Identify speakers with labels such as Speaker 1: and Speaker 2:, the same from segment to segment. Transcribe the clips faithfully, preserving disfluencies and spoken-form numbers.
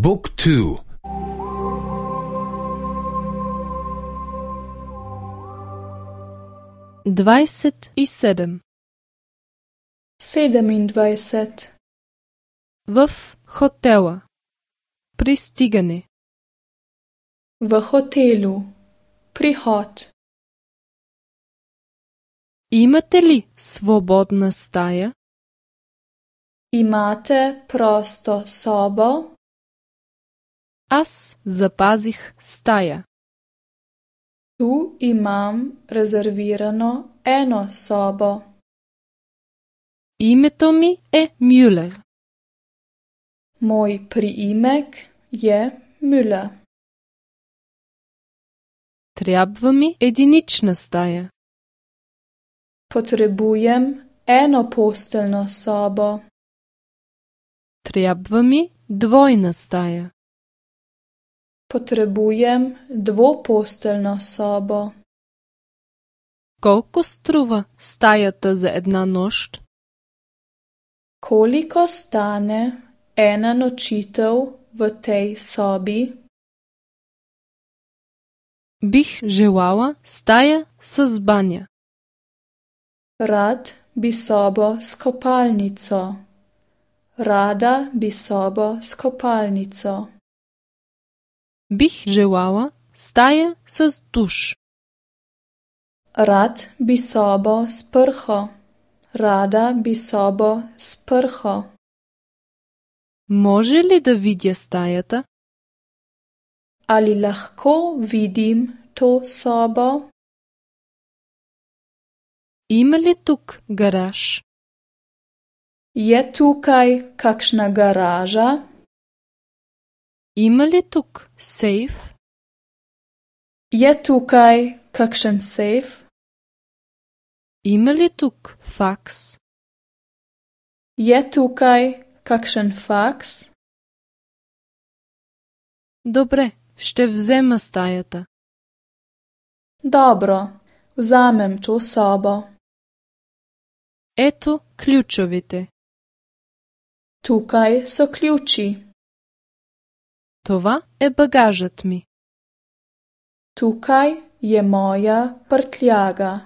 Speaker 1: บุ๊กทู
Speaker 2: dvajset i sedem.
Speaker 3: sedemindvajset.
Speaker 2: В хотела. Пристигане.
Speaker 3: V hotelu. Prihod.
Speaker 2: Имате ли свободна стая?
Speaker 3: Imate prosto sobo?
Speaker 2: Аз запазих стая.
Speaker 3: Tu imam rezervirano eno sobo.
Speaker 2: Името ми е Мюлер.
Speaker 3: Moj priimek je Müller.
Speaker 2: Трябва ми единична стая.
Speaker 3: Potrebujem eno posteljno sobo.
Speaker 2: Трябва ми двойна стая.
Speaker 3: Potrebujem dvoposteljno sobo.
Speaker 2: Колко струва стаята за една нощ?
Speaker 3: Koliko stane ena nočitev v tej sobi?
Speaker 2: Бих желала стая с баня.
Speaker 3: Rad bi sobo s kopalnico. Rada bi sobo s kopalnico.
Speaker 2: Бих желала стая с душ.
Speaker 3: Rad bi sobo s prho. Rada bi sobo s prho.
Speaker 2: Може ли да видя стаята?
Speaker 3: Ali lahko vidim to sobo?
Speaker 2: Има ли тук гараж?
Speaker 3: Je tukaj kakšna garaža?
Speaker 2: Има ли тук сейф?
Speaker 3: Je tukaj kakšen sejf?
Speaker 2: Има ли тук факс?
Speaker 3: Je tukaj kakšen faks?
Speaker 2: Добре, ще взема стаята.
Speaker 3: Dobro, vzamem to sobo.
Speaker 2: Ето ключовите.
Speaker 3: Tukaj so ključi.
Speaker 2: Това е багажът ми.
Speaker 3: Tukaj je moja prtljaga.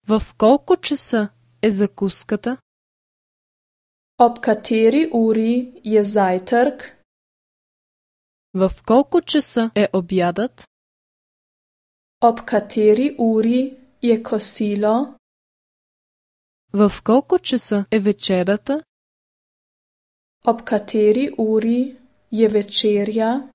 Speaker 2: В колко часа е закуската?
Speaker 3: Ob kateri uri je zajtrk?
Speaker 2: В колко часа е обядът?
Speaker 3: Ob kateri uri je kosilo?
Speaker 2: В колко часа е вечерята?
Speaker 3: Ob kateri uri je večerja?